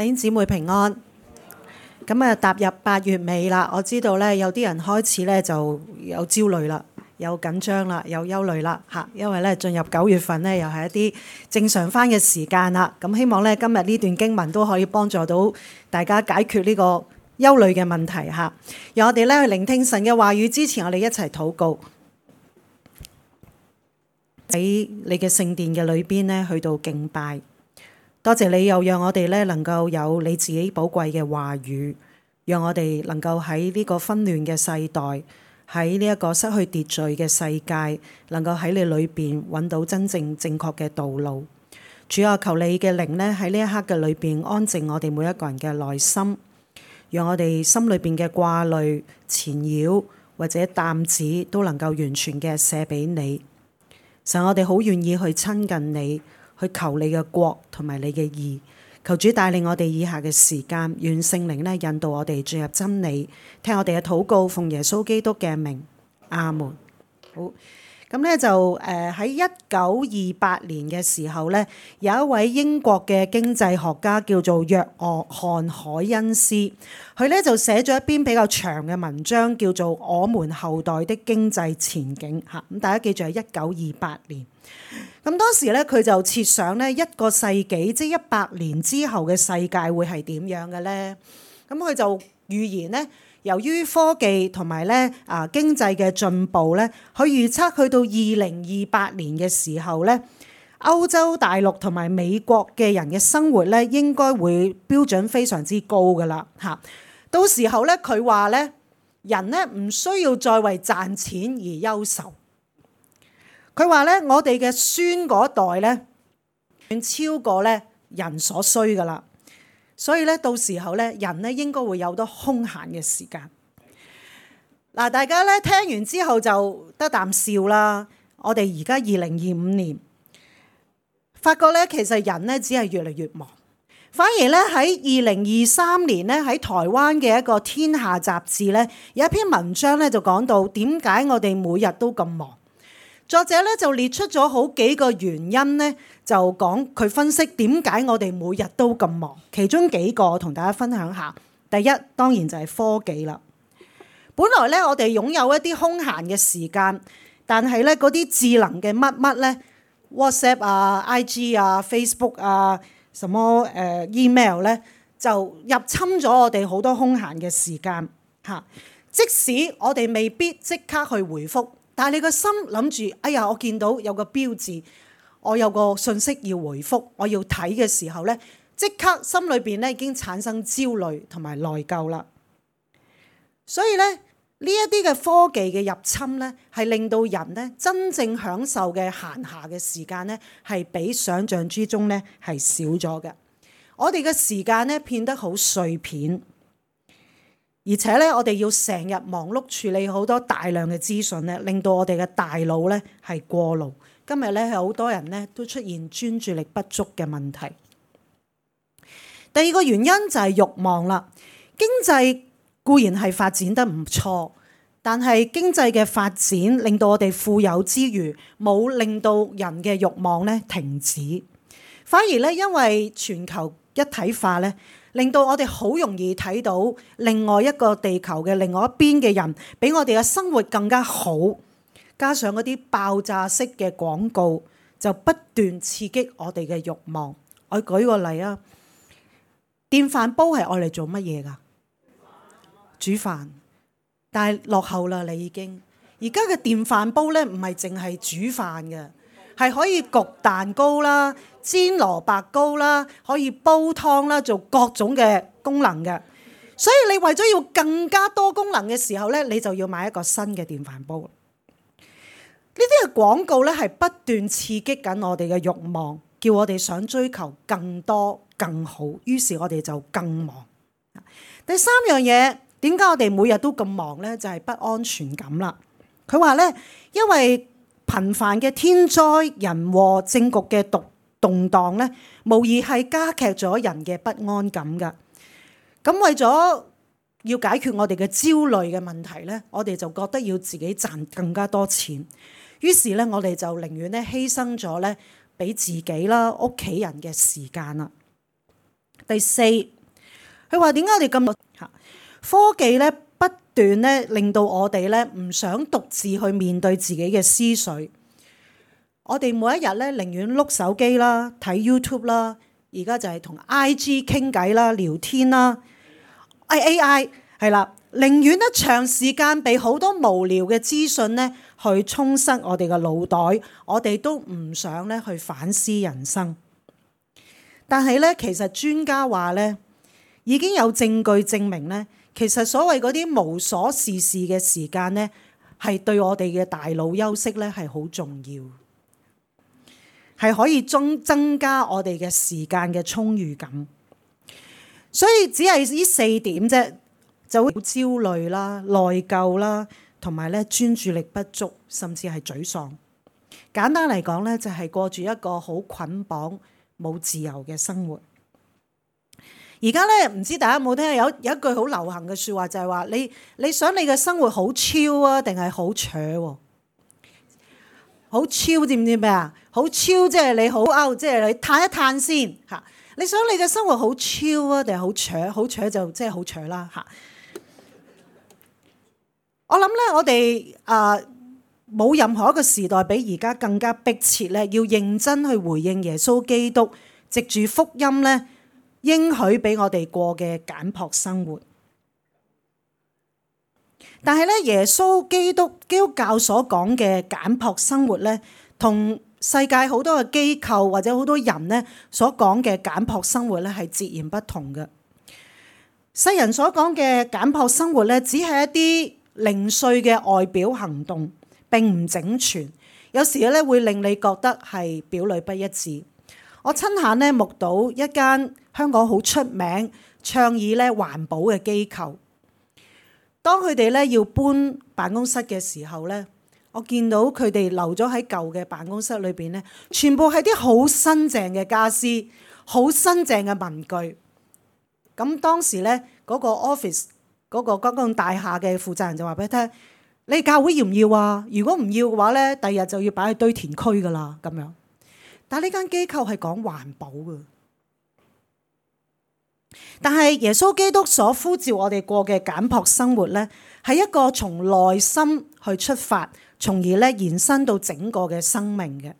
弟兄姊妹平安。咁啊，踏入8月尾啦，我知道咧有啲人開始咧就有焦慮啦，有緊張啦，有憂慮啦嚇，因為咧進入9月份咧又係一啲正常返嘅時間啦。咁希望咧今日呢段經文都可以幫助到大家解決呢個憂慮嘅問題嚇。讓我哋咧去聆聽神嘅話語之前，我哋一齊禱告。喺你嘅聖殿嘅裏邊咧，去到敬拜。多謝你又讓我哋咧能夠有你自己寶貴嘅話語，讓我哋能夠喺呢個紛亂嘅世代，喺呢一個失去秩序嘅世界，能夠喺你裏邊揾到真正正確嘅道路。主啊，求你嘅靈咧喺呢一刻嘅裏邊安靜我哋每一個人嘅內心，讓我哋心裏邊嘅掛慮、纏繞或者擔子都能夠完全嘅卸俾你。神，我哋好願意去親近你，去求你嘅國同埋你嘅義。求主帶領我哋以下嘅時間，願聖靈咧引導我哋進入真理，聽我哋嘅禱告，奉耶穌基督嘅名，阿門。好，咁咧就喺1928年嘅時候咧，有一位英國嘅經濟學家叫做約翰凱恩斯，佢咧就寫咗一篇比較長嘅文章，叫做《我們後代的經濟前景》嚇。咁大家記住係1928年。咁當時咧，佢就設想咧1個世紀，即係100年之後嘅世界會係點樣嘅咧？咁佢就預言咧，由於科技同埋咧經濟嘅進步咧，佢預測去到2028年嘅時候咧，歐洲大陸同埋美國嘅人嘅生活咧應該會標準非常之高噶啦嚇。到時候咧，佢話咧，人咧唔需要再為賺錢而憂愁。佢話咧，我哋嘅孫嗰代咧，遠超過咧人所需噶啦，所以咧到時候咧，人咧應該會有多空閒嘅時間。嗱，大家咧聽完之後就得啖笑啦。我哋而家2025年，發覺咧其實人咧只係越嚟越忙，反而咧喺2023年咧喺台灣嘅一個天下雜誌咧有一篇文章咧就講到點解我哋每日都咁忙。作者咧就列出咗好幾個原因咧，就講佢分析點解我哋每日都咁忙。其中幾個我同大家分享下。第一，當然就係科技啦。本來咧我哋擁有一啲空閒嘅時間，但係咧嗰啲智能嘅乜乜咧 ，WhatsApp 啊、IG 啊、Facebook 啊、什麼email 咧，就入侵咗我哋好多空閒嘅時間嚇。即使我哋未必即刻去回覆。但係你個心諗住，哎呀，我見到有個標誌，我有個信息要回覆，我要睇嘅時候咧，即刻心裏邊咧已經產生焦慮同埋內疚啦。所以咧，呢一啲嘅科技嘅入侵咧，係令到人咧真正享受嘅閒暇嘅時間咧，係比想象之中咧係少咗嘅。我哋嘅時間咧變得好碎片。而且咧，我哋要成日忙碌處理好多大量嘅資訊咧，令到我哋嘅大腦咧係過勞。今日咧有好多人咧都出現專注力不足嘅問題。第二個原因就係慾望啦。經濟固然係發展得唔錯，但係經濟嘅發展令到我哋富有之餘，冇令到人嘅慾望咧停止。反而咧，因為全球一體化咧，令到我哋好容易睇到另外一個地球嘅另外一邊嘅人，比我哋嘅生活更加好。加上嗰啲爆炸式嘅廣告，就不斷刺激我哋嘅慾望。我舉個例啊，電飯煲係愛嚟做乜嘢㗎？煮飯，但係落後啦，你已經。而家嘅電飯煲咧，唔係淨係煮飯嘅，係可以焗蛋糕啦、煎蘿蔔糕啦，可以煲湯啦，做各種嘅功能嘅。所以你為咗要更加多功能嘅時候咧，你就要買一個新嘅電飯煲。呢啲嘅廣告咧係不斷刺激緊我哋嘅慾望，叫我哋想追求更多更好，於是我哋就更忙。第三樣嘢，點解我哋每日都咁忙咧？就係不安全感啦。佢話咧，因為頻繁嘅天災人禍、政局嘅動盪咧，無疑係加劇咗人嘅不安感㗎。咁為咗要解決我哋嘅焦慮嘅問題咧，我哋就覺得要自己賺更加多錢，於是咧我哋就寧願咧犧牲咗咧俾自己啦、屋企人嘅時間啦。第四，佢話點解我哋咁科技咧不斷咧令到我哋咧唔想獨自去面對自己嘅思緒。我哋每一日咧寧願碌手機啦、睇 YouTube 啦，而家就係同 IG 傾偈啦、聊天啦。AI 係啦，寧願咧長時間被好多無聊嘅資訊咧去充塞我哋嘅腦袋，我哋都唔想咧去反思人生。但係咧，其實專家話咧，已經有證據證明咧，其實所謂嗰啲無所事事嘅時間咧，係對我哋嘅大腦休息咧係好重要，係可以增加我哋嘅時間嘅充裕感。所以只係呢四點啫，就會焦慮啦、內疚啦，同埋咧專注力不足，甚至係沮喪。簡單嚟講咧，就係過住一個好捆綁、冇自由嘅生活。而家咧，唔知大家有冇聽有一句好流行嘅説話，就係話你想你嘅生活好超啊，定係好扯喎？好超知唔知咩啊？好超即係你好即係你嘆一嘆先嚇。你想你嘅生活好超啊，定係好扯？好扯就即係好扯啦嚇。我諗咧，我哋冇任何一個時代比而家更加迫切咧，要認真去回應耶穌基督藉住福音咧應許俾我哋過嘅簡樸生活。但係咧，耶穌基督教所講嘅簡樸生活咧，同世界好多嘅機構或者好多人咧所講嘅簡樸生活咧係截然不同嘅。世人所講嘅簡樸生活咧，只係一啲零碎嘅外表行動，並唔整全。有時咧會令你覺得係表裏不一致。我親眼咧目睹一間香港好出名倡議咧環保嘅機構，當佢哋咧要搬辦公室嘅時候咧，我見到佢哋留咗喺舊嘅辦公室裏邊咧，全部係啲好新淨嘅家私、好新淨嘅文具。咁當時咧嗰個 office 嗰個公共大廈嘅負責人就話俾佢聽：你教會要唔要啊？如果唔要嘅話咧，第日就要擺喺堆填區噶啦咁樣。但係呢間機構係講環保嘅。但係耶穌基督所呼召我哋過嘅簡樸生活咧，係一個從內心去出發，從而咧延伸到整個嘅生命嘅。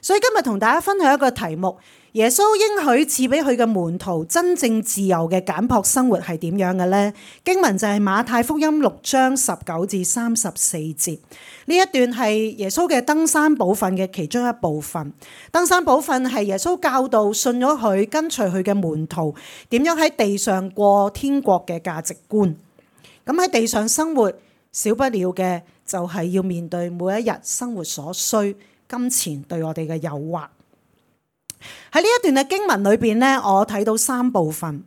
所以今日同大家分享一個題目：耶穌應許賜俾佢嘅門徒真正自由嘅簡樸生活係點樣嘅呢？經文就係馬太福音6章19至34節。呢一段係耶穌嘅登山寶訓嘅其中一部分。登山寶訓係耶穌教導信咗佢跟隨佢嘅門徒點樣喺地上過天國嘅價值觀。咁喺地上生活，少不了嘅就係要面對每一日生活所需，金錢對我哋嘅誘惑。喺呢一段嘅經文裏邊咧，我睇到三部分，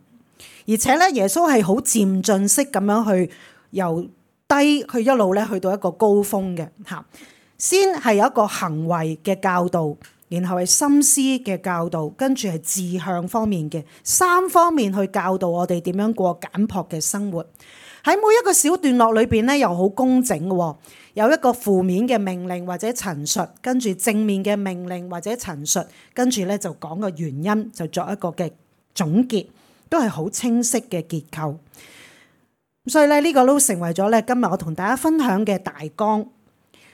而且咧耶穌係好漸進式咁樣去由低去一路咧去到一個高峰嘅嚇。先係有一個行為嘅教導，然後係心思嘅教導，跟住係志向方面嘅三方面去教導我哋點樣過簡樸嘅生活。喺每一個小段落裏邊咧，又好工整嘅，有一個負面嘅命令或者陳述，跟住正面嘅命令或者陳述，跟住咧就講個原因，就作一個嘅總結，都係好清晰嘅結構。所以咧呢個都成為咗咧今日我同大家分享嘅大綱。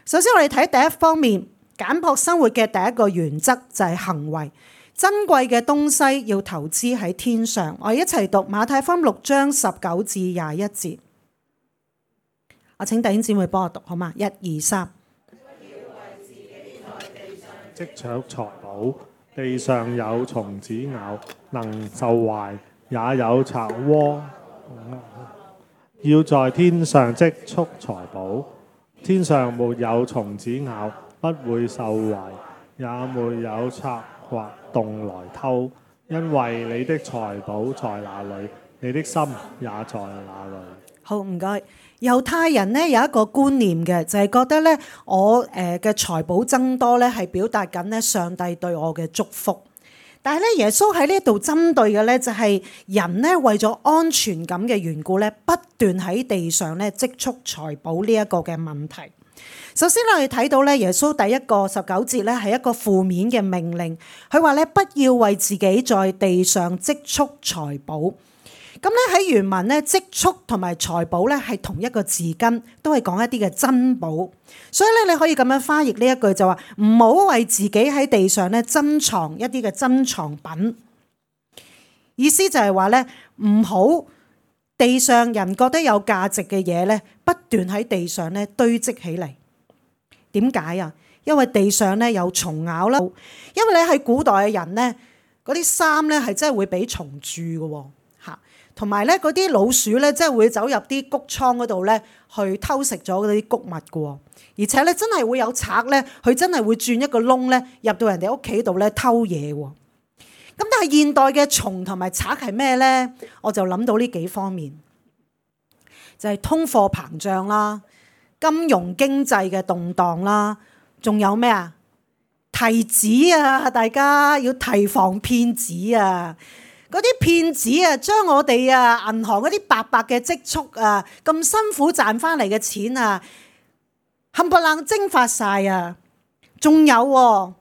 首先我哋睇第一方面，簡樸生活嘅第一個原則就係行為。珍貴嘅東西要投資喺天上。我哋一齊讀馬太福音6章19至21節。我請弟兄姊妹幫我讀好嗎？1、2、3。積蓄財寶，地上有蟲子咬，能受壞；也有賊窩。要在天上積蓄財寶，天上沒有蟲子咬，不會受壞，也沒有賊或洞來偷。因為你的財寶在哪裏，你的心也在哪裏。好，唔該。猶太人咧有一個觀念嘅，就係覺得咧我嘅財寶增多咧係表達緊咧上帝對我嘅祝福。但係咧耶穌喺呢度針對嘅咧就係人咧為咗安全感嘅緣故咧，不斷喺地上咧積蓄財寶呢一個嘅問題。首先我哋睇到咧，耶穌第一個19節咧係一個負面嘅命令，佢話咧不要為自己在地上積蓄財寶。咁咧喺原文咧，積蓄同埋財寶咧係同一個字根，都係講一啲嘅珍寶。所以咧你可以咁樣翻譯呢一句就話，唔好為自己喺地上咧珍藏一啲嘅珍藏品。意思就係話咧，唔好地上人覺得有價值嘅嘢咧，不斷喺地上咧堆積起嚟。點解啊？因為地上咧有蟲咬啦，因為你喺古代嘅人咧，嗰啲衫咧係真係會俾蟲蛀嘅嚇，同埋咧嗰啲老鼠咧真係會走入啲谷倉嗰度咧去偷食咗嗰啲谷物嘅，而且咧真係會有賊咧，佢真係會鑽一個窿咧入到人哋屋企度咧偷嘢喎。咁但係現代嘅蟲同埋賊係咩咧？我就諗到呢幾方面，就係通貨膨脹啦。金融經濟嘅動盪啦，仲有咩啊？提子啊，大家要提防騙子啊！嗰啲騙子啊，將我哋啊銀行嗰啲白白嘅積蓄啊，咁辛苦賺翻嚟嘅錢啊，冚唪唥蒸發晒啊！仲有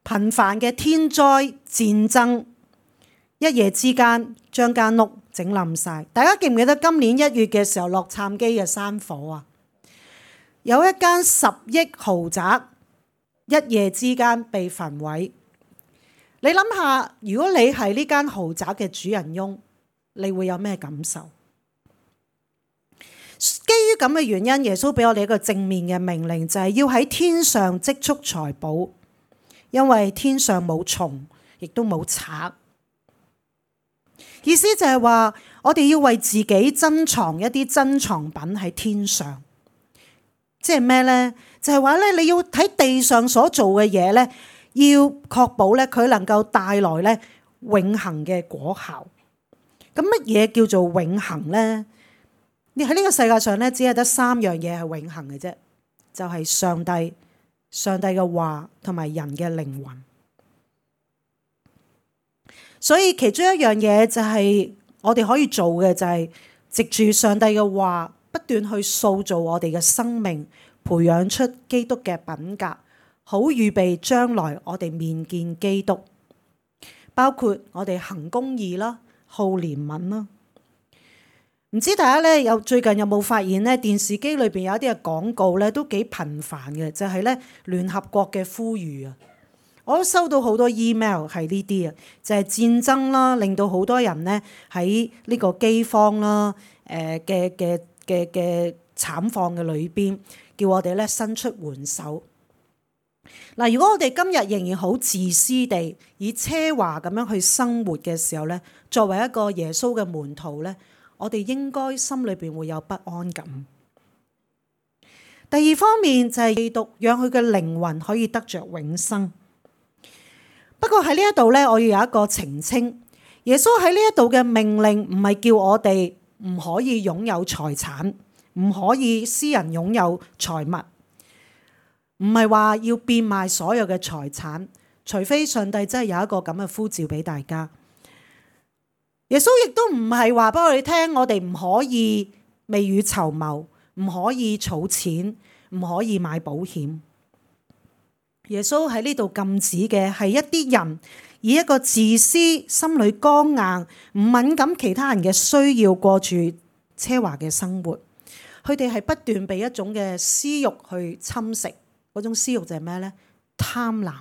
頻繁嘅天災戰爭，一夜之間將間屋整冧晒。大家記唔記得今年1月嘅時候，洛杉磯嘅山火啊？有一間10億豪宅一夜之間被焚毀。你諗下，如果你係呢間豪宅嘅主人翁，你會有咩感受？基於咁嘅原因，耶穌俾我哋一個正面嘅命令，就係要喺天上積蓄財寶，因為天上冇蟲，亦都冇賊。意思就係話，我哋要為自己珍藏一啲珍藏品喺天上。即係咩呢？就係話咧，你要喺地上所做嘅嘢咧，要確保咧佢能夠帶來咧永恆嘅果效。咁乜嘢叫做永恆呢？你喺呢個世界上咧，只係得3樣嘢係永恆嘅啫，就係上帝、上帝嘅話同埋人嘅靈魂。所以其中一樣嘢就係我哋可以做嘅，就係藉住上帝嘅話，不斷去塑造我哋嘅生命，培養出基督嘅品格，好預備將來我哋面見基督。包括我哋行公義啦，好憐憫啦。唔知大家咧最近有冇發現咧，電視機裏邊有一啲嘅廣告咧都幾頻繁嘅，就係咧聯合國嘅呼籲啊。我都收到好多 email 係呢啲啊，就係戰爭啦，令到好多人咧喺呢個饑荒啦，嘅慘況嘅裏邊，叫我哋咧伸出援手。嗱，如果我哋今日仍然好自私地以奢華咁樣去生活嘅時候咧，作為一個耶穌嘅門徒咧，我哋應該心裏邊會有不安感。第二方面就係基督，讓佢嘅靈魂可以得着永生。不過喺呢一度咧，我要有一個澄清。耶穌喺呢一度嘅命令唔係叫我哋唔可以擁有財產，唔可以私人擁有財物，唔係話要變賣所有嘅財產，除非上帝真係有一個咁嘅呼召俾大家。耶穌亦都唔係話俾我哋聽，我哋唔可以未雨綢繆，唔可以儲錢，唔可以買保險。耶穌喺呢度禁止嘅係一啲人以一個自私、心裏剛硬、唔敏感其他人嘅需要過住奢華嘅生活。佢哋係不斷被一種嘅私慾去侵蝕，嗰種私慾就係咩呢？貪婪。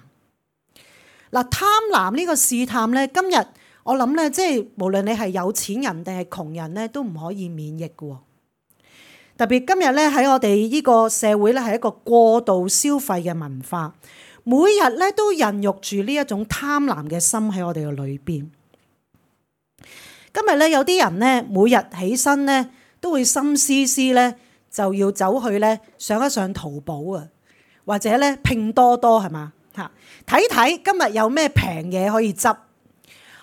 嗱，貪婪呢個試探呢，今日我諗呢，即係無論你係有錢人定係窮人呢，都唔可以免疫嘅。特別今日咧喺我哋呢個社會咧係一個過度消費嘅文化，每日咧都孕育住呢一種貪婪嘅心喺我哋嘅裏邊。今日咧有啲人咧每日起身咧都會心思思咧就要走去咧上一上淘寶啊，或者咧拼多多係嘛嚇，睇睇今日有咩平嘢可以執。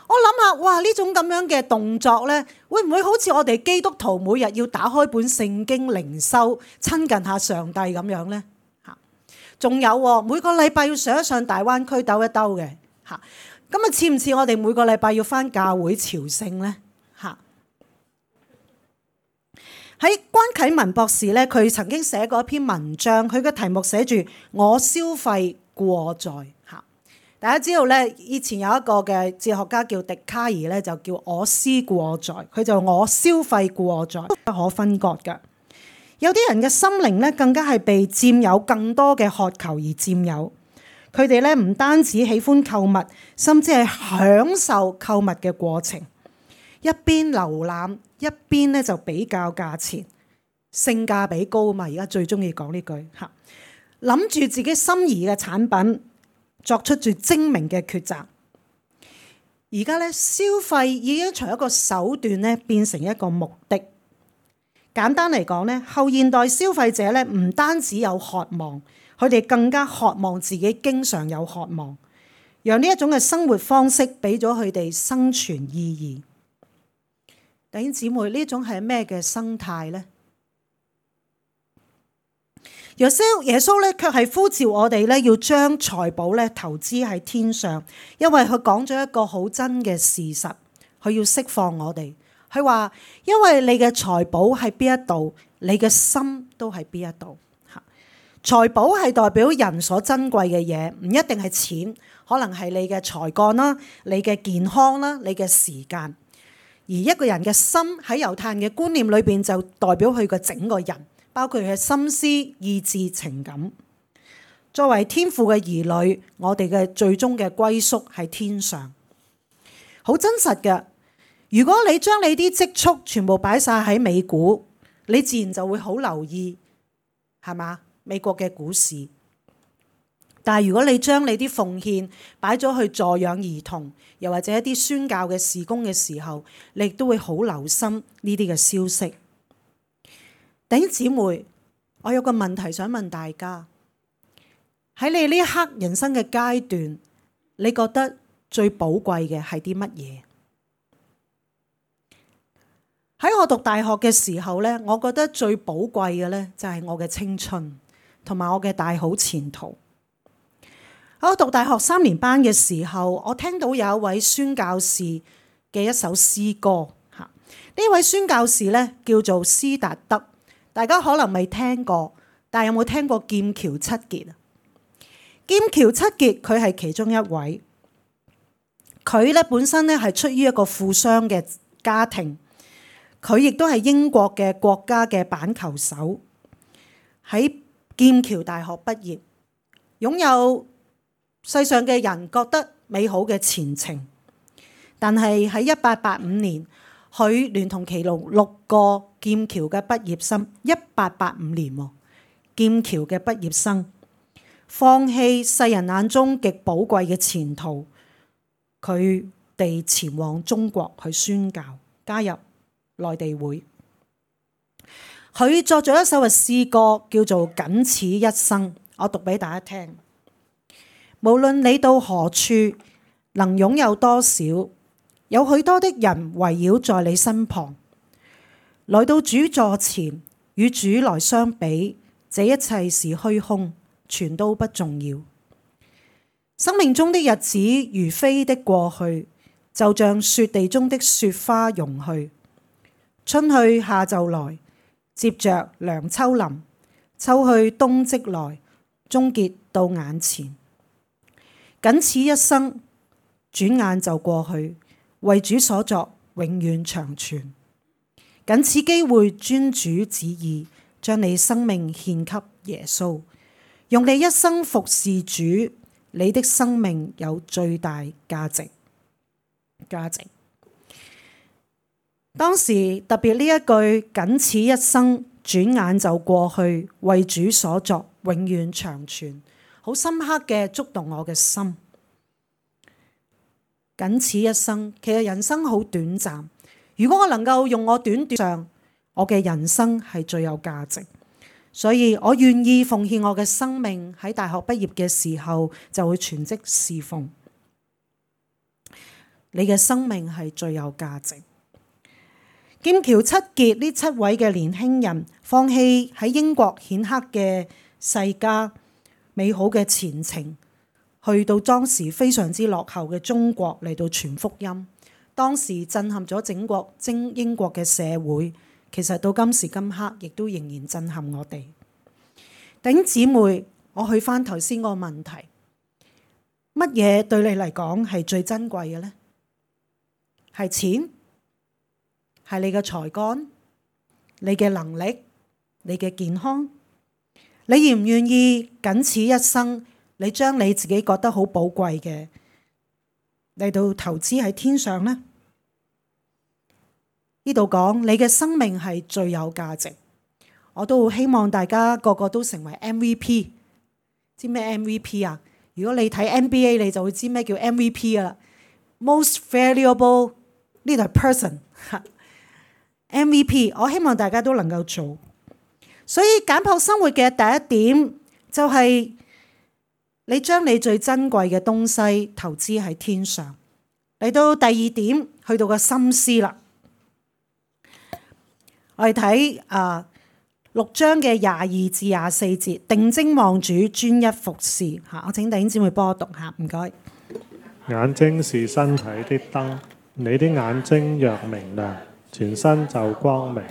我諗下，哇！呢種咁樣嘅動作咧，會唔會好似我哋基督徒每日要打開本聖經靈修，親近下上帝咁樣咧？嚇，仲有每個禮拜要上一上大灣區兜一兜嘅嚇，咁啊似唔似我哋每個禮拜要返教會朝聖咧？嚇，喺關啟文博士咧，佢曾經寫過一篇文章，佢嘅題目寫住我消費過在嚇。大家知道咧，以前有一個嘅哲學家叫笛卡爾咧，就叫我思過在，佢就我消費過在，不可分割嘅。有啲人嘅心靈咧，更加係被佔有更多嘅渴求而佔有。佢哋咧唔單止喜歡購物，甚至係享受購物嘅過程。一邊瀏覽，一邊咧就比較價錢，性價比高嘛。而家最中意講呢句嚇，諗住自己心儀嘅產品，作出最精明嘅抉擇。而家咧消費已經從一個手段咧變成一個目的。簡單嚟講咧，後現代消費者咧唔單止有渴望，佢哋更加渴望自己經常有渴望，讓呢一種嘅生活方式俾咗佢哋生存意義。弟兄姊妹，呢種係咩嘅生態呢？耶穌咧卻係呼召我哋咧要將財寶咧投資喺天上，因為佢講咗一個好真嘅事實，佢要釋放我哋。佢話：因為你嘅財寶喺邊一度，你嘅心都喺邊一度。財寶係代表人所珍貴嘅嘢，唔一定係錢，可能係你嘅才幹啦、你嘅健康啦、你嘅時間。而一個人嘅心喺猶太人嘅觀念裏邊，就代表佢嘅整個人，包括佢嘅心思、意志、情感。作為天父嘅兒女，我哋嘅最終嘅歸宿係天上，好真實嘅。如果你將你啲積蓄全部擺晒喺美股，你自然就會好留意，係嘛？美國嘅股市。但係如果你將你啲奉獻擺咗去助養兒童，又或者一啲宣教嘅事工嘅時候，你亦都會好留心呢啲嘅消息。弟兄姊妹，我有個問題想問大家：喺你呢一刻人生嘅階段，你覺得最寶貴嘅係啲乜嘢？喺我讀大學嘅時候咧，我覺得最寶貴嘅咧就係我嘅青春同埋我嘅大好前途。喺我讀大學3年班嘅時候，我聽到有一位宣教士嘅一首詩歌嚇。呢位宣教士咧叫做斯達德，大家可能未聽過，但係有冇聽過劍橋七傑啊？劍橋七傑佢係其中一位，佢咧本身咧係出於一個富商嘅家庭。佢亦都係英國嘅國家嘅板球手，喺劍橋大學畢業，擁有世上嘅人覺得美好嘅前程。但係喺1885年，佢聯同其中6個劍橋嘅畢業生，1885年喎，劍橋嘅畢業生放棄世人眼中極寶貴嘅前途，佢哋前往中國去宣教，加入內地會。佢作咗一首嘅詩歌叫做《僅此一生》，我讀俾大家聽。無論你到何處，能擁有多少，有許多的人圍繞在你身旁。來到主座前，與主來相比，這一切是虛空，全都不重要。生命中的日子如飛的過去，就像雪地中的雪花融去。春去夏就來，接着涼秋臨，秋去冬即來，終結到眼前。僅此一生，轉眼就過去，為主所作，永遠長存。僅此機會，遵主旨意，將你生命獻給耶穌，用你一生服侍主，你的生命有最大價值。當時特別呢一句僅此一生，轉眼就過去，為主所作，永遠長存，好深刻嘅觸動我嘅心。僅此一生，其實人生好短暫。如果我能夠用我短上，我嘅人生係最有價值。所以我願意奉獻我嘅生命，喺大學畢業嘅時候就會全職侍奉。你嘅生命係最有價值。劍橋七傑呢7位嘅年輕人，放棄喺英國顯赫嘅世家、美好嘅前程，去到當時非常之落後嘅中國嚟到傳福音。當時震撼咗整個英國嘅社會，其實到今時今刻亦都仍然震撼我哋。弟兄姊妹，我去翻頭先個問題，乜嘢對你嚟講係最珍貴嘅呢？係錢？係你嘅才幹？你嘅能力？你嘅健康？你願唔願意僅此一生，你將你自己覺得好寶貴嘅嚟到投資喺天上呢？呢度講你嘅生命係最有價值，我都好希望大家個個都成為 MVP。知咩 MVP 啊？如果你睇 NBA， 你就會知咩叫 MVP 噶啦。Most valuable 呢度係 person。MVP， 我希望大家都能夠做。所以簡樸生活嘅第一點就係你將你最珍貴嘅東西投資喺天上。嚟到第二點，去到個心思啦。我哋睇6章嘅22至24節，定睛望主，專一服侍。我請弟兄姊妹幫我讀下，唔該。眼睛是身體的燈，你的眼睛若明亮，全身就光明；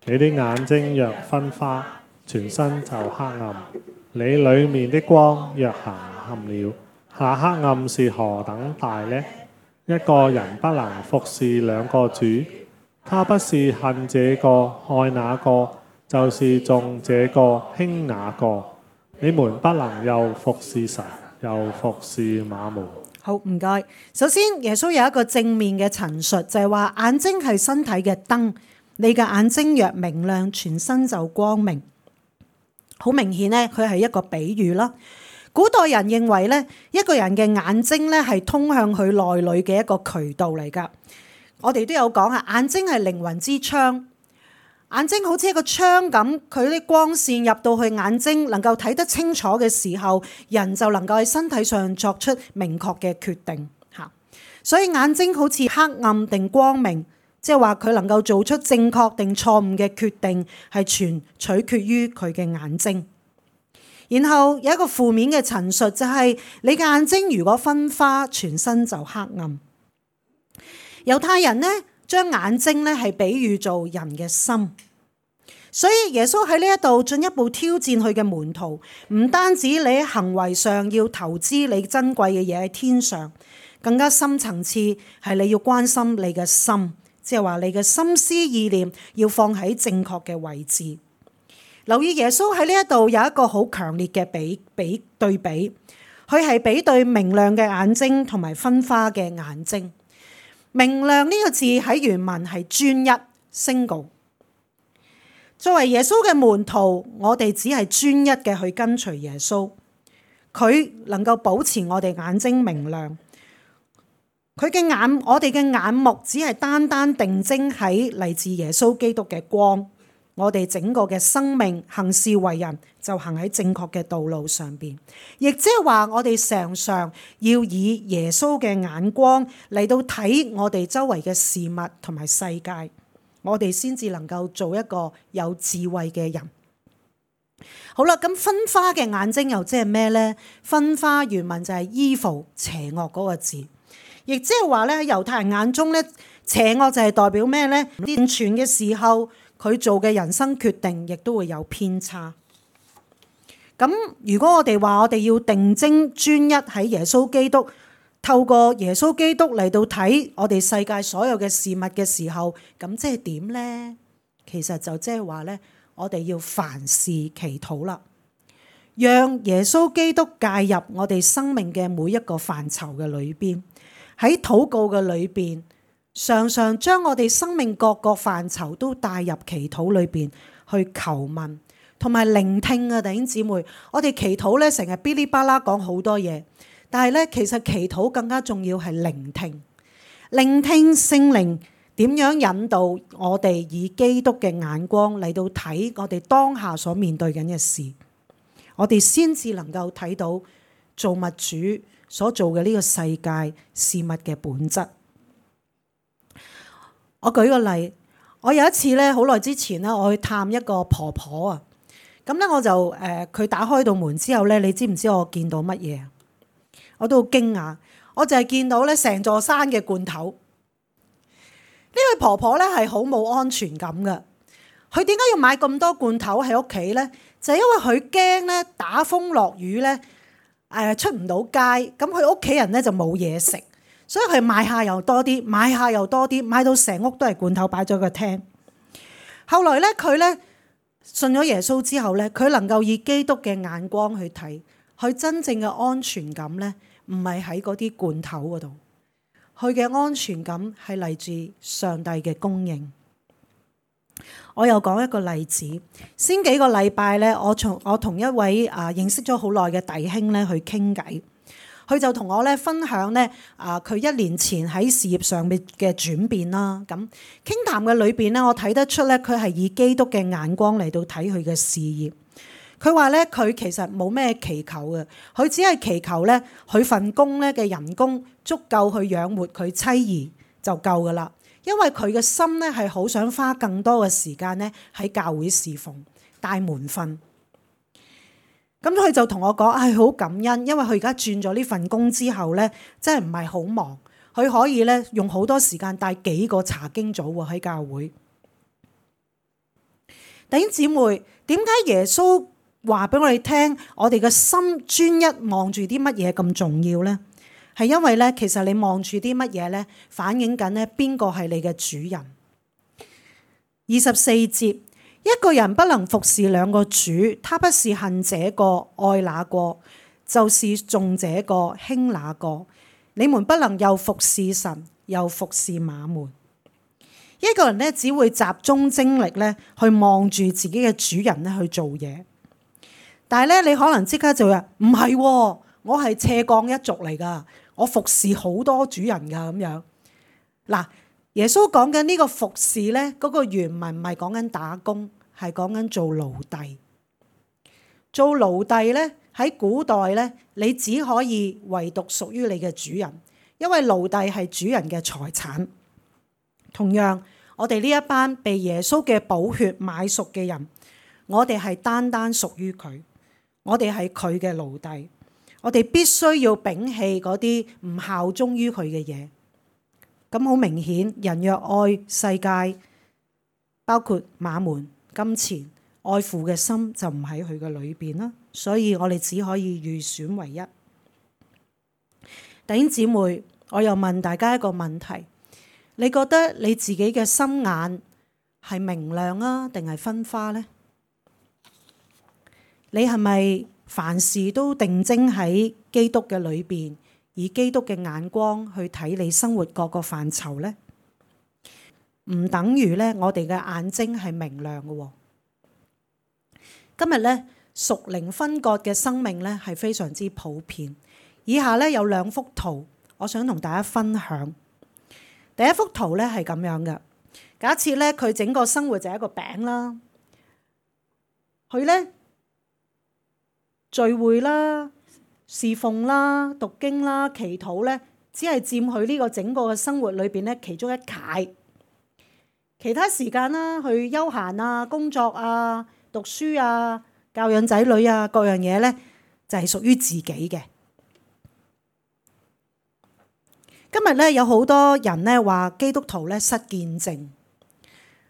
你的眼睛若昏花，全身就黑暗。你裏面的光若行暗了，那黑暗是何等大呢？一個人不能服侍兩個主，他不是恨這個愛那個，就是重這個輕那個。你們不能又服侍神，又服侍馬門。好，唔該。首先，耶穌有一個正面嘅陳述，就係話眼睛係身體嘅燈，你嘅眼睛若明亮，全身就光明。好明顯咧，佢係一個比喻啦。古代人認為咧，一個人嘅眼睛咧係通向佢內裏嘅一個渠道嚟噶。我哋都有講啊，眼睛係靈魂之窗，眼睛好似一個窗咁，佢啲光線入到去眼睛，能夠睇得清楚嘅時候，人就能夠喺身體上作出明確嘅決定嚇。所以眼睛好似黑暗定光明，即係話佢能夠做出正確定錯誤嘅決定，係全取決於佢嘅眼睛。然後有一個負面嘅陳述，就係你嘅眼睛如果昏花，全身就黑暗。猶太人呢，將眼睛呢係比喻做人嘅心，所以耶穌喺呢一度進一步挑戰佢嘅門徒，唔單止你喺行為上要投資你珍貴嘅嘢喺天上，更加深層次係你要關心你嘅心，即係話你嘅心思意念要放喺正確嘅位置。留意耶穌喺呢一度有一個好強烈嘅對比，佢係比對明亮嘅眼睛同埋昏花嘅眼睛。明亮呢個字喺原文係專一 single。作為耶穌嘅門徒，我哋只係專一嘅去跟隨耶穌，佢能夠保持我哋眼睛明亮。我哋嘅眼目只係單單定睛喺嚟自耶穌基督嘅光。我哋整個嘅生命行事為人就行喺正確嘅道路上邊，亦即係話我哋常常要以耶穌嘅眼光嚟到睇我哋周圍嘅事物同埋世界，我哋先至能夠做一個有智慧嘅人。好啦，咁昏花嘅眼睛又即係咩呢？昏花原文就係 evil 邪惡嗰個字，亦即係話咧喺猶太人眼中咧，邪惡就係代表咩呢？健全嘅時候，佢做嘅人生決定亦都會有偏差。咁如果我哋話我哋要定睛專一喺耶穌基督，透過耶穌基督嚟到睇我哋世界所有嘅事物嘅時候，咁即係點呢？其實就即係話咧，我哋要凡事祈禱啦，讓耶穌基督介入我哋生命嘅每一個範疇嘅裏邊，喺禱告嘅裏邊，常常將我哋生命各個範疇都帶入祈禱裏邊去求問同埋聆聽啊！弟兄姊妹，我哋祈禱咧成日嗶哩吧啦講好多嘢，但係咧其實祈禱更加重要係聆聽，聆聽聖靈點樣引導我哋以基督嘅眼光嚟到睇我哋當下所面對緊嘅事，我哋先至能夠睇到造物主所做嘅呢個世界事物嘅本質。我舉個例，我有一次咧，好耐之前咧，我去探一個婆婆啊。咁咧，我就佢打開道門之後咧，你知唔知我見到乜嘢？我都好驚訝，我就係見到咧成座山嘅罐頭。呢位婆婆咧係好冇安全感㗎。佢點解要買咁多罐頭喺屋企呢？就係因為佢驚咧打風落雨咧，出唔到街，咁佢屋企人咧就冇嘢食，所以佢買下又多啲，買下又多啲，買到成屋都係罐頭擺咗個廳。後來咧佢咧信咗耶穌之後咧，佢能夠以基督嘅眼光去睇，佢真正嘅安全感咧唔係喺嗰啲罐頭嗰度，佢嘅安全感係嚟自上帝嘅供應。我又講一個例子，先幾個禮拜咧，我同一位認識咗好耐嘅弟兄咧去傾偈，佢就同我咧分享咧佢1年前喺事業上面嘅轉變啦。咁傾談嘅裏邊咧，我睇得出咧佢係以基督嘅眼光嚟到睇佢嘅事業。佢話咧佢其實冇咩祈求嘅，佢只係祈求咧佢份工咧嘅人工足夠去養活佢妻兒就夠噶啦。因為佢嘅心咧係好想花更多嘅時間咧喺教會侍奉帶門訓，咁佢就同我講係好感恩，因為佢而家轉咗呢份工之後咧，真係唔係好忙，佢可以咧用好多時間帶幾個查經組喎喺教會。弟兄姊妹，點解耶穌話俾我哋聽，我哋嘅心專一望住啲乜嘢咁重要咧？係因為咧，其實你望住啲乜嘢咧，反映緊咧邊個係你嘅主人。24節，一個人不能服侍兩個主，他不是恨這個愛那個，就是重這個輕那個。你們不能又服侍神，又服侍馬門。一個人咧只會集中精力咧去望住自己嘅主人咧去做嘢，但係咧你可能即刻就話唔係喎，我係斜槓一族嚟㗎。我服侍好多主人㗎咁樣。嗱，耶穌講緊呢個服侍咧，嗰個原文唔係講緊打工，係講緊做奴隸。做奴隸咧喺古代咧，你只可以唯獨屬於你嘅主人，因為奴隸係主人嘅財產。同樣，我哋呢一班被耶穌嘅寶血買贖嘅人，我哋係單單屬於佢，我哋係佢嘅奴隸。我哋必須要摒棄嗰啲唔效忠於佢嘅嘢。咁好明顯，人若愛世界，包括馬門、金錢、愛父嘅心就唔喺佢嘅裏邊啦。所以我哋只可以預選唯一。弟兄姊妹，我又問大家一個問題：你覺得你自己嘅心眼係明亮啊，定係昏花呢？你係咪凡事都定睛喺基督嘅裏邊，以基督嘅眼光去睇你生活各個範疇呢？唔等於咧，我哋嘅眼睛係明亮嘅。今日咧，屬靈分割嘅生命咧係非常之普遍。以下咧有2幅圖，我想同大家分享。第一幅圖咧係咁樣嘅，假設咧佢整個生活就係一個餅啦，佢咧聚會啦、侍奉啦、讀經啦、祈禱咧，只係佔佢呢個整個嘅生活裏邊咧其中一塊。其他時間啦，去休閒啊、工作啊、讀書啊、教養仔女啊，各樣嘢咧就係屬於自己嘅。今日咧有好多人咧話基督徒咧失見證，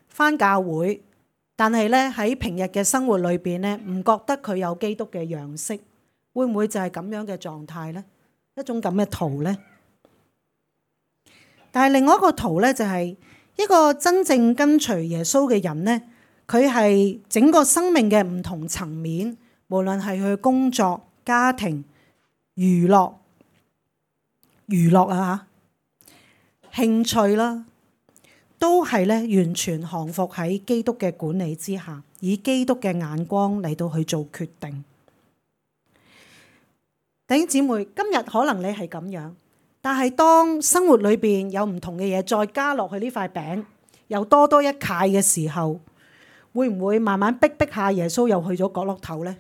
返教會，但係咧喺平日嘅生活裏邊咧唔覺得佢有基督嘅樣式，會唔會就係咁樣嘅狀態咧？一種咁嘅圖咧。但係另外一個圖咧就係一個真正跟隨耶穌嘅人咧，佢係整個生命嘅唔同層面，無論係佢工作、家庭、娛樂啊、興趣啦，都係咧完全降服喺基督嘅管理之下，以基督嘅眼光嚟到去做決定。弟兄姊妹，今日可能你係咁樣，但係當生活裏邊有唔同嘅嘢再加落去呢塊餅，又多一塊嘅時候，會唔會慢慢逼下耶穌又去咗角落頭呢？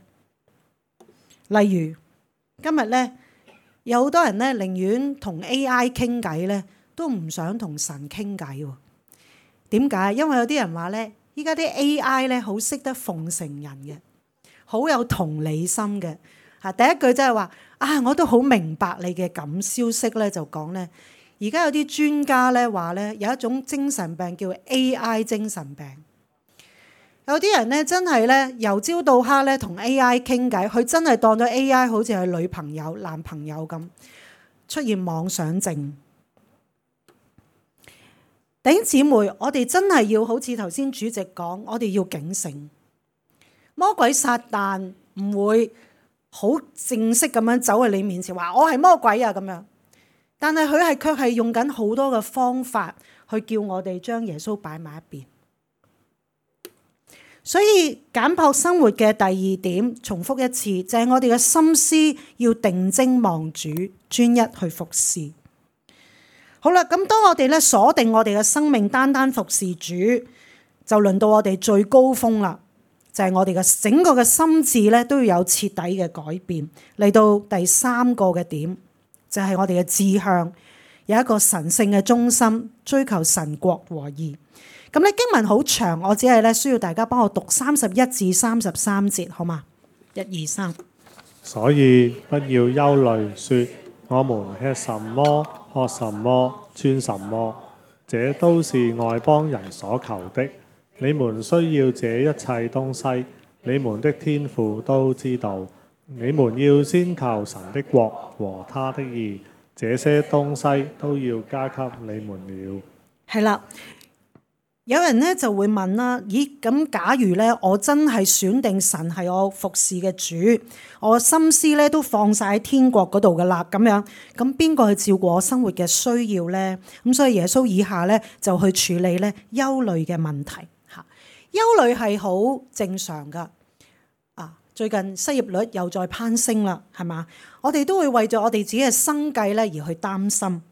例如今日咧，有好多人咧寧願同 AI 傾偈咧，都唔想同神傾偈喎。點解？因為有啲人話咧，依家啲 AI 咧好識得奉承人嘅，好有同理心嘅。第一句真係話我都好明白你嘅感消息咧，就講咧，而家有啲專家咧話咧，有一種精神病叫 AI 精神病。有啲人咧真係咧由朝到黑咧同 AI 傾偈，佢真係當咗 AI 好似係女朋友、男朋友咁，出現妄想症。弟兄姊妹，我哋真係要好似頭先主席講，我哋要警醒。魔鬼撒旦唔會好正式咁樣走去你面前話我係魔鬼啊咁樣，但係佢卻係用緊好多嘅方法去叫我哋將耶穌擺埋一邊。所以簡樸生活嘅第二點，重複一次，就係我哋嘅心思要定睛望主，專一去服侍。好啦，咁當我哋咧鎖定我哋嘅生命，單單服侍主，就輪到我哋最高峰啦。就係我哋嘅整個嘅心智咧，都要有徹底嘅改變。嚟到第三個嘅點，就係我哋嘅志向，有一個神聖嘅中心，追求神國和義。咁咧經文好長，我只係咧需要大家幫我讀31至33節，好嘛？1、2、3。所以不要憂慮，說我們吃什麼、喝什麼、穿什麼，這都是外邦人所求的。你們需要這一切東西，你們的天父都知道。你們要先求神的國和他的義，這些東西都要加給你們了。係啦，有人咧就會問啦，咦，咁假如咧我真係選定神係我服侍嘅主，我心思咧都放晒喺天國嗰度噶啦，咁樣咁邊個去照顧我生活嘅需要咧？咁所以耶穌以下咧就去處理咧憂慮嘅問題嚇。憂慮係好正常噶。最近失業率又再攀升啦，係嘛？我哋都會為咗我哋自己嘅生計咧而去擔心。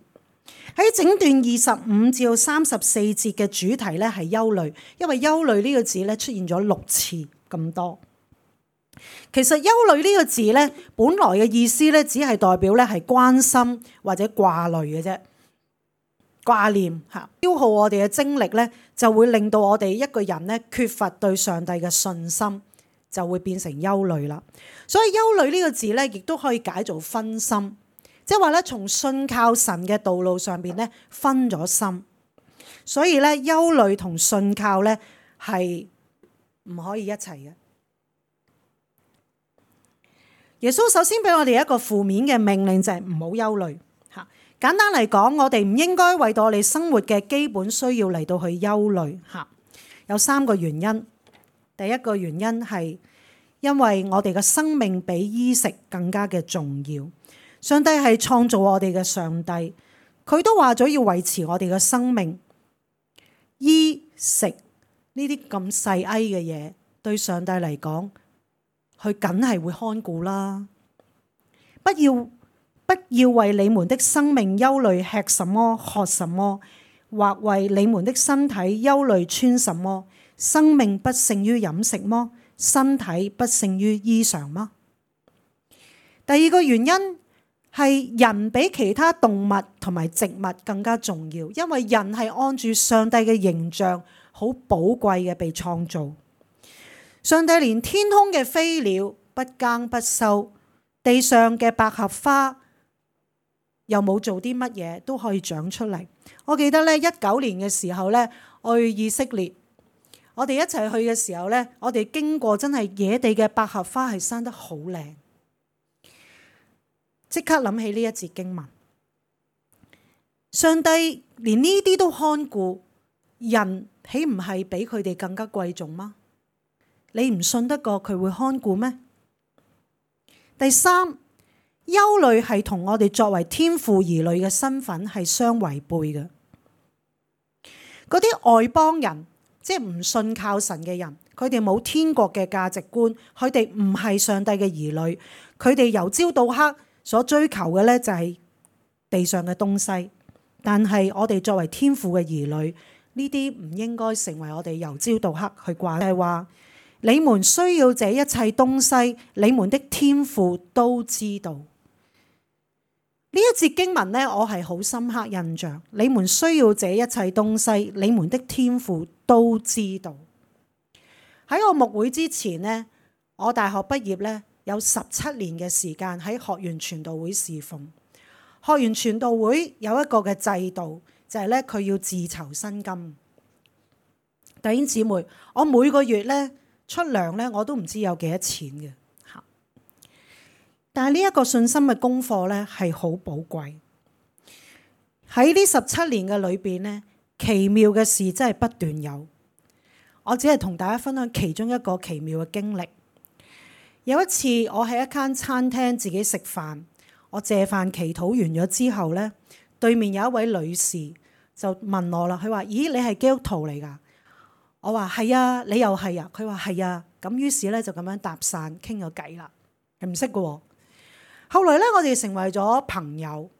喺整段25至34節嘅主題咧係憂慮，因為憂慮呢個字咧出現咗6次咁多。其實憂慮呢個字咧，本來嘅意思咧只係代表咧係關心或者掛慮嘅啫，掛念嚇，消耗我哋嘅精力咧，就會令到我哋一個人咧缺乏對上帝嘅信心，就會變成憂慮啦。所以憂慮呢個字咧，亦都可以解做分心。即係話咧，從信靠神嘅道路上邊咧分咗心，所以咧憂慮同信靠咧係唔可以一齊嘅。耶穌首先俾我哋一個負面嘅命令，就係唔好憂慮嚇。簡單嚟講，我哋唔應該為到我哋生活嘅基本需要嚟到去憂慮嚇。有3個原因。第一個原因係因為我哋嘅生命比衣食更加嘅重要。上帝係創造我哋嘅上帝，佢都話咗要維持我哋嘅生命。衣食呢啲咁細埃嘅嘢，對上帝嚟講，佢梗係會看顧啦。不要為你們的生命憂慮，吃什麼、喝什麼，或為你們的身體憂慮，穿什麼。生命不勝於飲食麼？身體不勝於衣裳嗎？第二個原因係人比其他動物同埋植物更加重要，因為人係按住上帝嘅形象，好寶貴嘅被創造。上帝連天空嘅飛鳥不耕不收，地上嘅百合花又冇做啲乜嘢都可以長出嚟。我記得咧19年嘅時候咧，我去以色列，我哋一齊去嘅時候咧，我哋經過真係野地嘅百合花係生得好靚。即刻諗起呢一節經文，上帝連呢啲都看顧，人豈唔係比佢哋更加貴重嗎？你唔信得過佢會看顧咩？第三，憂慮係同我哋作為天父兒女嘅身份係相違背嘅。嗰啲外邦人，即係唔信靠神嘅人，佢哋冇天國嘅價值觀，佢哋唔係上帝嘅兒女，佢哋由朝到黑所追求嘅咧就係地上嘅東西。但係我哋作為天父嘅兒女，呢啲唔應該成為我哋由朝到黑去掛。就係話你們需要這一切東西，你們的天父都知道。呢一節經文咧，我係好深刻印象。你們需要這一切東西，你們的天父都知道。喺我牧會之前呢，我大學畢業咧有17年嘅時間喺學園傳道會侍奉。學園傳道會有一個嘅制度，就係咧佢要自籌薪金。弟兄姊妹，我每個月咧出糧咧，我都唔知有幾多錢嘅嚇。但係呢一個信心嘅功課咧係好寶貴。喺呢17年嘅裏邊咧，奇妙嘅事真係不斷有。我只係同大家分享其中一個奇妙嘅經歷。有一次我喺一間餐廳自己食飯，我謝飯祈禱完咗之後咧，對面有一位女士就問我啦，佢話：咦，你係基督徒嚟㗎？我話係啊，你又係啊？佢話係啊。咁於是咧就咁樣搭訕傾咗偈啦，係唔識嘅喎。後來咧我哋成為咗朋友，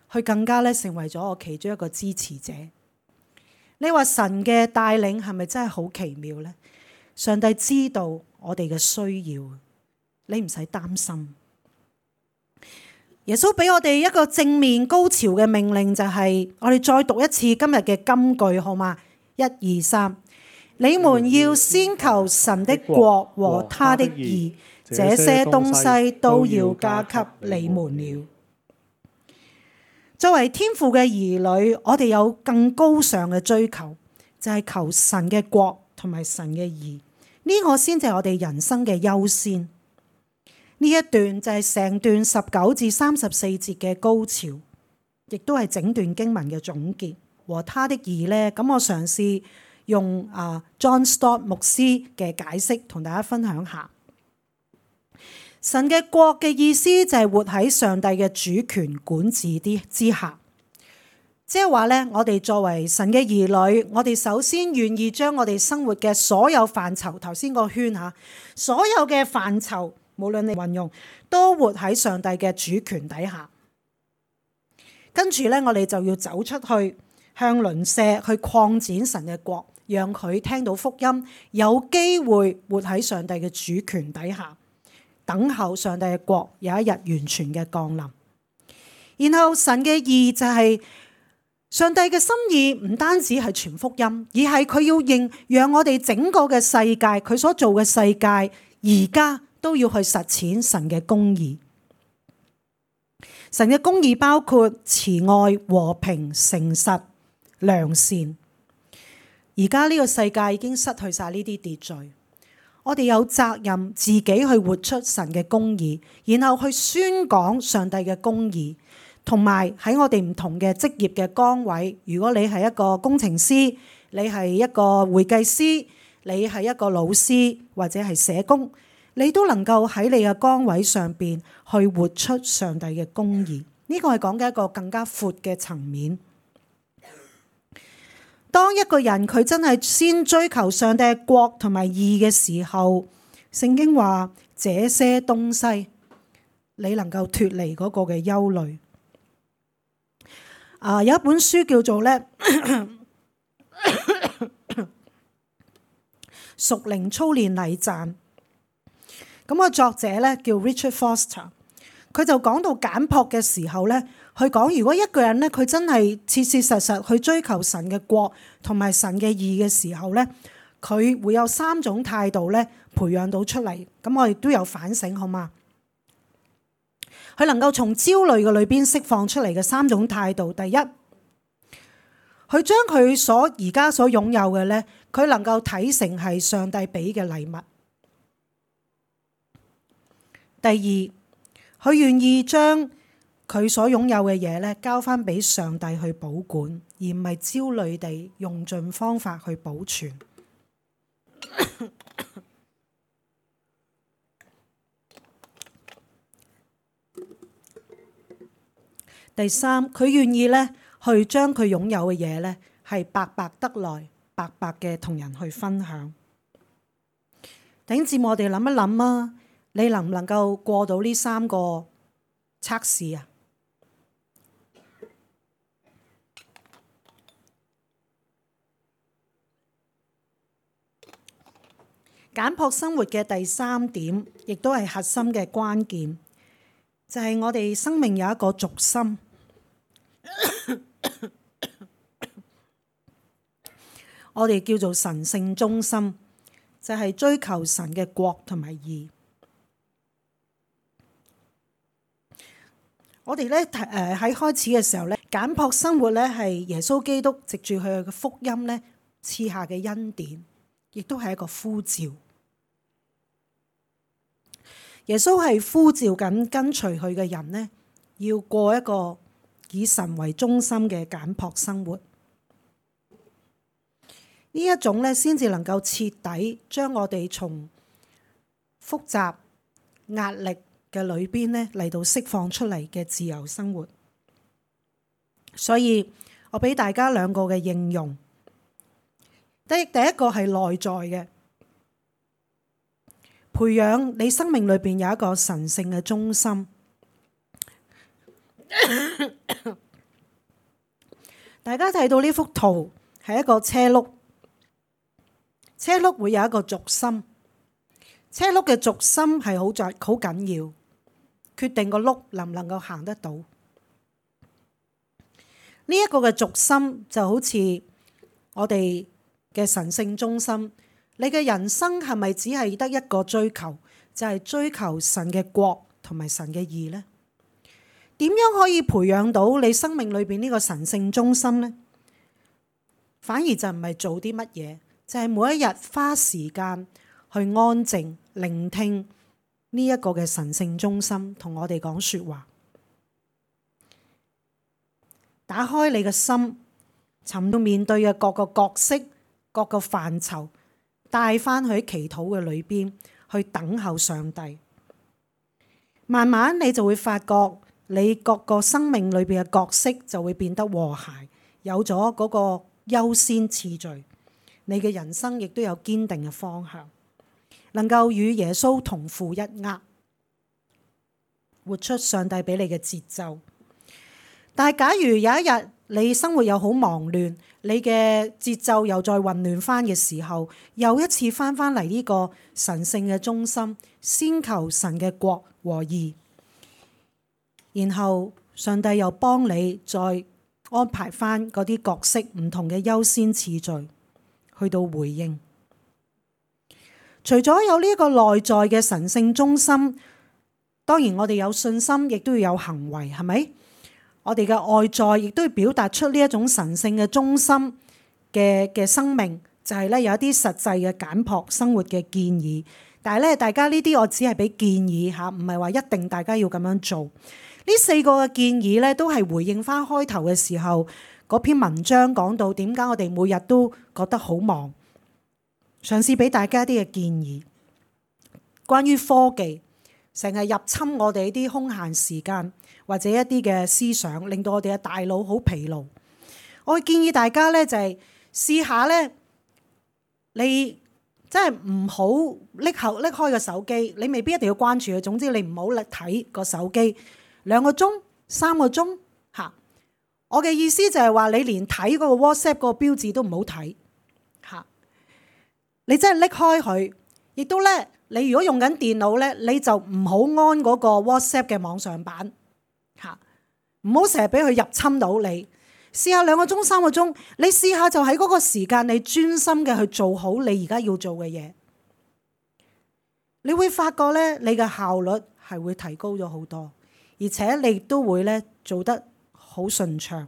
佢更加咧成為咗我其中一個支持者。你話神嘅帶領係咪真係好奇妙呢？上帝知道我哋嘅需要，你唔使擔心。耶穌俾我哋一個正面高潮嘅命令，就係我哋再讀一次今日嘅金句，好嗎？1、2、3，你們要先求神的國和他的義，這些東西都要加給你們了。作為天父嘅兒女，我哋有更高尚嘅追求，就係求神嘅國同埋神嘅義，呢個先至係我哋人生嘅優先。呢一段就係成段19至34節嘅高潮，亦都係整段經文嘅總結。和他的義呢，咁我嘗試用John Stott 牧師嘅解釋同大家分享下。神嘅國嘅意思就係活喺上帝嘅主權管治之下，即係話咧，我哋作為神嘅兒女，我哋首先願意將我哋生活嘅所有範疇，頭先個圈嚇，所有嘅範疇，無論你運用，都活喺上帝嘅主權底下。跟住咧，我哋就要走出去，向鄰舍去擴展神嘅國，讓佢聽到福音，有機會活喺上帝嘅主權底下。等候上帝嘅國有一日完全嘅降臨。然後神嘅義就係上帝嘅心意，唔單止係傳福音，而係佢要讓我哋整個嘅世界，佢所做嘅世界，而家都要去實踐神嘅公義。神嘅公義包括慈愛、和平、誠實、良善。而家呢個世界已經失去晒呢啲秩序。我哋有責任自己去活出神嘅公義，然後去宣講上帝嘅公義，同埋喺我哋唔同嘅職業嘅崗位，如果你係一個工程師，你係一個會計師，你係一個老師或者係社工，你都能夠喺你嘅崗位上邊去活出上帝嘅公義。呢個係講緊一個更加闊嘅層面。當一個人佢真係先追求上帝嘅國同埋義嘅時候，聖經話這些東西你能夠脫離嗰個嘅憂慮。有一本書叫做咧屬靈操練禮讚，咁個作者咧叫 Richard Foster， 佢就講到簡樸嘅時候咧。佢講，如果一個人咧，佢真係切切實實去追求神嘅國同埋神嘅義嘅時候咧，佢會有3種態度咧培養到出嚟。咁我哋都有反省，好嗎？佢能夠從焦慮嘅裏邊釋放出嚟嘅3種態度。第一，佢將佢而家所擁有嘅咧，佢能夠睇成係上帝俾嘅禮物。第二，佢願意將佢所擁有嘅嘢咧，交翻俾上帝去保管，而唔係焦慮地用盡方法去保存。第三，佢願意咧去將佢擁有嘅嘢咧，係白白得來，白白嘅同人去分享。弟兄姊妹，我哋諗一諗啊，你能唔能夠過到呢3個測試啊？簡樸生活嘅第3點，亦都係核心嘅關鍵，就係我哋生命有一個軸心。我哋叫做神聖中心，就係追求神嘅國同埋義。我哋咧喺開始嘅時候咧，簡樸生活咧係耶穌基督藉住佢嘅福音咧賜下嘅恩典。亦都係一個呼召。耶穌係呼召緊跟隨佢嘅人呢，要過一個以神為中心嘅簡樸生活。呢一種咧，先至能夠徹底將我哋從複雜壓力嘅裏邊咧嚟到釋放出嚟嘅自由生活。所以我俾大家兩個嘅應用。第一個係內在嘅，培養你生命裏邊有一個神聖嘅中心。大家睇到呢幅圖係一個車轆，車轆會有一個軸心，車轆嘅軸心係好緊要，決定個轆能唔能夠行得到。呢一個嘅軸心就好似我哋嘅神聖中心，你嘅人生係咪只係得一個追求，就係追求神嘅國同埋神嘅義呢？點樣可以培養到你生命裏邊呢個神聖中心呢？反而就唔係做啲乜嘢，就係每一日花時間去安靜聆聽呢一個嘅神聖中心同我哋講說話，打開你嘅心，尋到面對嘅各個角色、各個範疇，帶翻去祈禱嘅裏邊去等候上帝。慢慢你就會發覺，你各個生命裏邊嘅角色就會變得和諧，有咗嗰個優先次序。你嘅人生亦都有堅定嘅方向，能夠與耶穌同負一軛，活出上帝俾你嘅節奏。但係假如有一日你生活又好忙亂，你嘅節奏又再混亂翻嘅時候，又一次翻嚟呢個神聖嘅中心，先求神嘅國和義，然後上帝又幫你再安排翻嗰啲角色唔同嘅優先次序，去到回應。除咗有呢一個內在嘅神聖中心，當然我哋有信心，亦都要有行為，係咪？我哋嘅外在亦都要表達出呢一種神聖嘅中心嘅生命，就係咧有一啲實際嘅簡樸生活嘅建議。但係咧，大家呢啲我只係俾建議嚇，唔係話一定大家要咁樣做。呢4個嘅建議咧，都係回應翻開頭嘅時候嗰篇文章講到點解我哋每日都覺得好忙，嘗試俾大家一啲嘅建議。關於科技成日入侵我哋啲空閒時間，或者一啲嘅思想，令到我哋嘅大腦好疲勞。我會建議大家咧就係試下咧，你真係唔好拎開個手機，你未必一定要關注佢。總之你唔好睇個手機2個鐘、3個鐘嚇。我嘅意思就係話，你連睇嗰個 WhatsApp 嗰個標誌都唔好睇嚇。你真係拎開佢，亦都咧，你如果用緊電腦咧，你就唔好安嗰個 WhatsApp 嘅網上版嚇，唔好成日俾佢入侵到你。試下2個鐘、3個鐘，你試下就喺嗰個時間，你專心嘅去做好你而家要做嘅嘢，你會發覺咧，你嘅效率係會提高咗好多，而且你都會咧做得好順暢。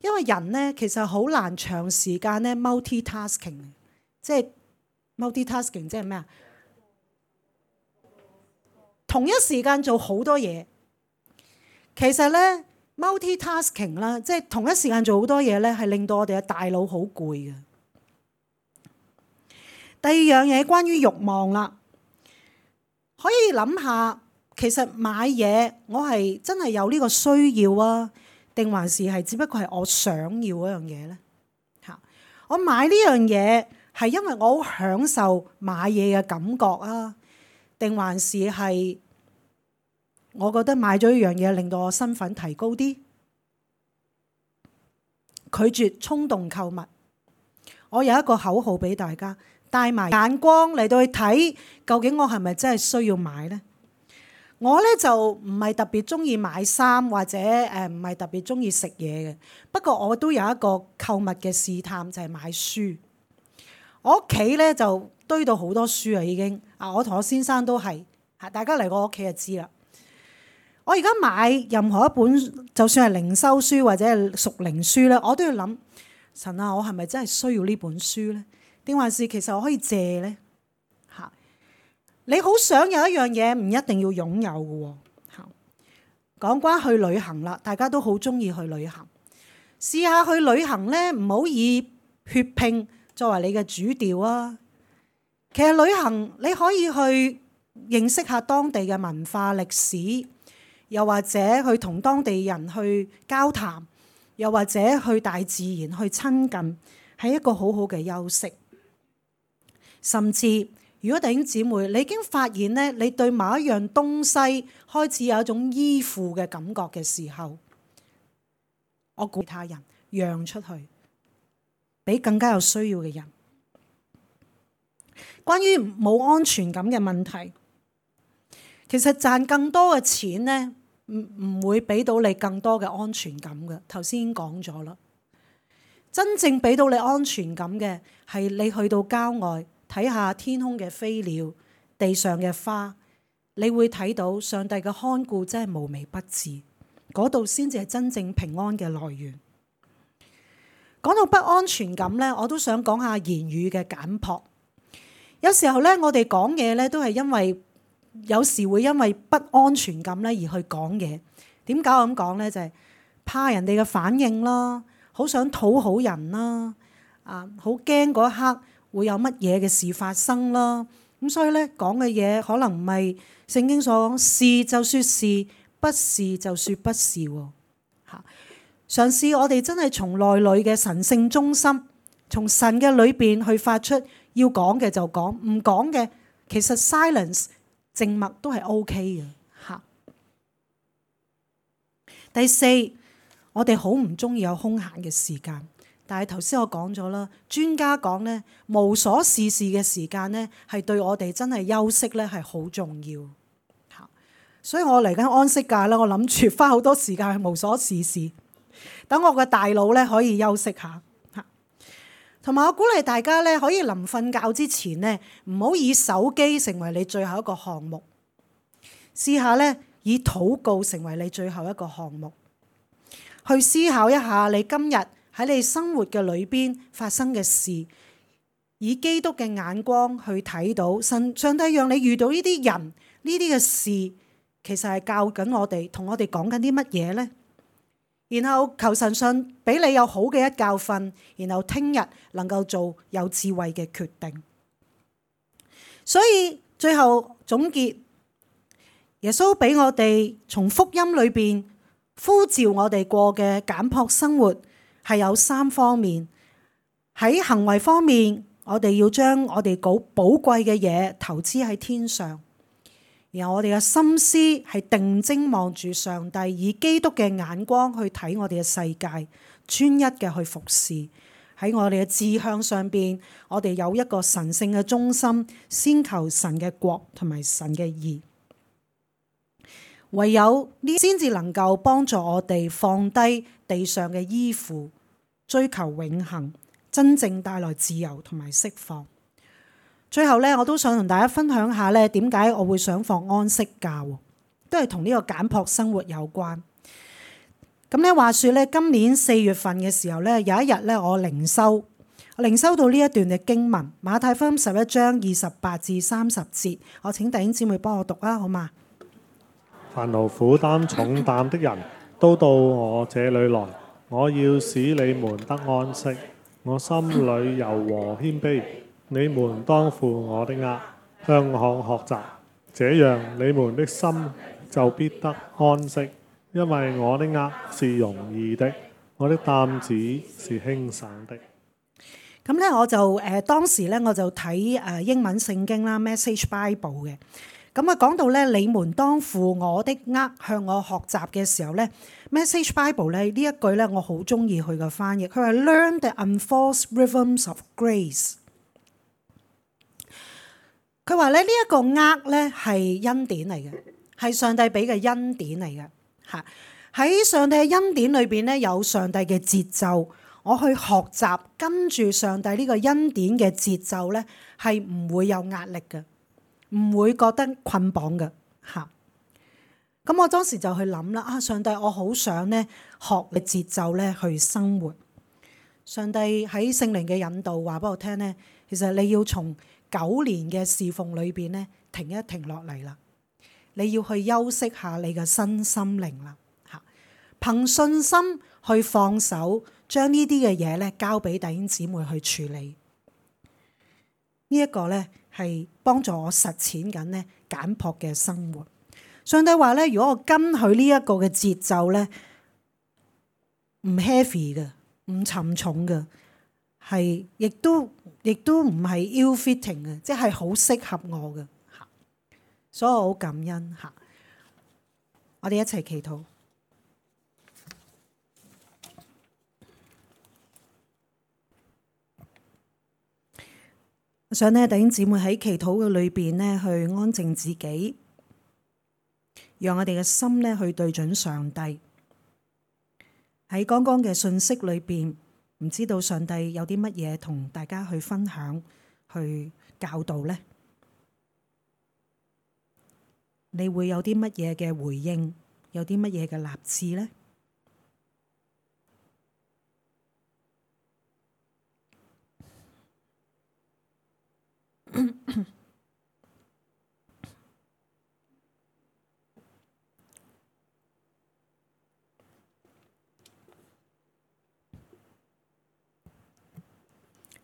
因為人咧其實好難長時間咧 multitasking， 即係 multitasking 即係咩啊？同一時間做好多嘢。其實咧 multitasking 啦，即係同一時間做好多嘢咧，係令到我哋嘅大腦好攰嘅。第二樣嘢關於慾望啦，可以諗下，其實買嘢我係真係有呢個需要啊，定還是係只不過係我想要嗰樣嘢咧？嚇，我買呢樣嘢係因為我好享受買嘢嘅感覺啊，定還是係我覺得買咗一樣嘢令到我身份提高啲？拒絕衝動購物。我有一個口號俾大家，帶埋眼光嚟到去睇，究竟我係咪真係需要買呢？我咧就唔係特別中意買衫，或者唔係特別中意食嘢嘅。不過我都有一個購物嘅試探，就係買書。我屋企咧就堆到好多書啊，已經啊！我同我先生都係嚇，大家嚟我屋企就知啦。我而家買任何一本，就算係靈修書或者係屬靈書咧，我都要諗神啊，我係咪真係需要呢本書咧？定還是其實我可以借呢？嚇，你好想有一樣嘢，唔一定要擁有嘅喎。嚇，講關去旅行啦，大家都好中意去旅行。試下去旅行呢，唔好以血拼作為你嘅主調啊。其實旅行你可以去認識下當地嘅文化歷史，又或者去同當地人去交談，又或者去大自然去親近，係一個好好嘅休息。甚至如果弟兄姊妹你已經發現咧，你對某一樣東西開始有一種依附嘅感覺嘅時候，我鼓勵他人讓出去，俾更加有需要嘅人。關於冇安全感嘅問題，其實賺更多嘅錢呢，唔會俾到你更多嘅安全感嘅。頭先已經講咗啦，真正俾到你安全感嘅係你去到郊外睇下天空嘅飛鳥、地上嘅花，你會睇到上帝嘅看顧真係無微不至，嗰度先至係真正平安嘅來源。講到不安全感呢，我都想講下言語嘅簡樸。有時候咧，我哋講嘢咧都係因為有時會因為不安全感咧而去講嘢。點解我咁講咧？就係怕人哋嘅反應啦，好想討好人啦，好驚嗰一刻會有乜嘢嘅事發生啦。咁所以咧講嘅嘢可能唔係聖經所講，是就說是，不是就說不是喎。嚇，嘗試我哋真係從內裏嘅神聖中心，從神嘅裏邊去發出。要講嘅就講，唔講嘅其實 silence 靜默都係 OK 嘅嚇。第四，我哋好唔中意有空閒嘅時間，但係頭先我講咗啦，專家講咧無所事事嘅時間咧係對我哋真係休息咧係好重要嚇。所以我嚟緊安息假啦，我諗住花好多時間去無所事事，等我個大腦咧可以休息下。同埋我鼓勵大家咧，可以臨瞓覺之前咧，唔好以手機成為你最後一個項目，試下咧以禱告成為你最後一個項目，去思考一下你今日喺你生活嘅裏邊發生嘅事，以基督嘅眼光去睇到上帝讓你遇到呢啲人呢啲嘅事，其實係教緊我哋，同我哋講緊啲乜嘢呢？然後求神上俾你有好嘅一覺瞓，然後聽日能夠做有智慧嘅決定。所以最後總結，耶穌俾我哋從福音裏邊呼召我哋過嘅簡樸生活係有三方面。喺行為方面，我哋要將我哋寶貴嘅嘢投資喺天上。然後我哋嘅心思係定睛望住上帝，以基督嘅眼光去睇我哋嘅世界，專一嘅去服侍。喺我哋嘅志向上邊，我哋有一個神聖嘅中心，先求神嘅國同埋神嘅義。唯有呢先至能夠幫助我哋放低地上嘅依附，追求永恆，真正帶來自由同埋釋放。最後咧，我都想同大家分享下咧，點解我會想放安息假，都係同呢個簡樸生活有關。咁咧，話說咧，今年4月份嘅時候咧，有一日咧，我靈修到呢一段嘅經文，馬太福音11章28至30節，我請弟兄姊妹幫我讀啊，好嘛？凡勞苦擔重擔的人都到我這裏來，我要使你們得安息。我心裏柔和謙卑。你們當負我的軛，向我學習，這樣你們的心就必得安息。因為我的軛是容易的，我的擔子是輕省的。咁咧，我就當時咧我就睇英文聖經啦 ，Message Bible 嘅。咁啊講到咧，你們當負我的軛，向我學習嘅時候咧，Message Bible 咧呢一句咧我好中意佢嘅翻譯，佢話 Learn the unforced rhythms of grace。佢話咧呢一個軛咧係恩典嚟嘅，係上帝俾嘅恩典嚟嘅嚇。喺上帝嘅恩典裏邊咧有上帝嘅節奏，我去學習跟住上帝呢個恩典嘅節奏咧係唔會有壓力嘅，唔會覺得捆綁嘅嚇。咁我當時就去諗啦，上帝我好想咧學嘅節奏咧去生活。上帝喺聖靈嘅引導話俾我聽呢，其實你要從9年嘅侍奉裏邊呢停一停落嚟啦，你要去休息下你嘅身心靈啦，嚇，憑信心去放手，將呢啲嘅嘢呢交俾弟兄姊妹去處理。呢一個呢係幫助我實踐緊呢簡樸嘅生活。上帝話呢，如果我跟佢呢一個嘅節奏呢，唔 heavy 嘅，唔沉重嘅，係亦都唔係 ill-fitting 嘅，即係好適合我嘅嚇。所以我好感恩嚇。我哋一齊祈禱。我想呢，弟兄姊妹喺祈禱嘅裏邊呢，去安靜自己，讓我哋嘅心呢去對準上帝。喺剛剛嘅信息裏邊，唔知道上帝有啲乜嘢同大家去分享、去教導呢？你會有啲乜嘢嘅回應？有啲乜嘢嘅立志呢？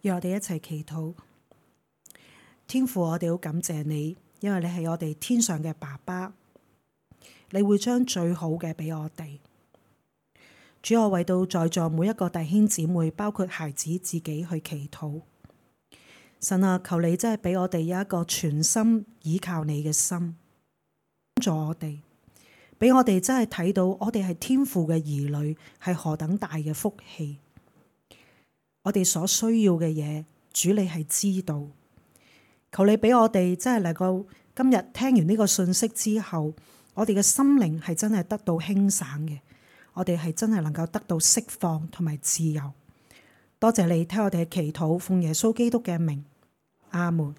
讓我哋一齊祈禱。天父，我哋好感謝你，因為你係我哋天上嘅爸爸，你會將最好嘅俾我哋。主，我為到在座每一個弟兄姊妹，包括孩子自己去祈禱。神啊，求你真係俾我哋有一個全心倚靠你嘅心，幫助我哋，俾我哋真係睇到我哋係天父嘅兒女，係何等大嘅福氣。我哋所需要嘅嘢，主你係知道。求你俾我哋真係能夠今日聽完呢個信息之後，我哋嘅心靈係真係得到輕省嘅，我哋係真係能夠得到釋放同埋自由。多謝你聽我哋嘅祈禱，奉耶穌基督嘅名，阿門。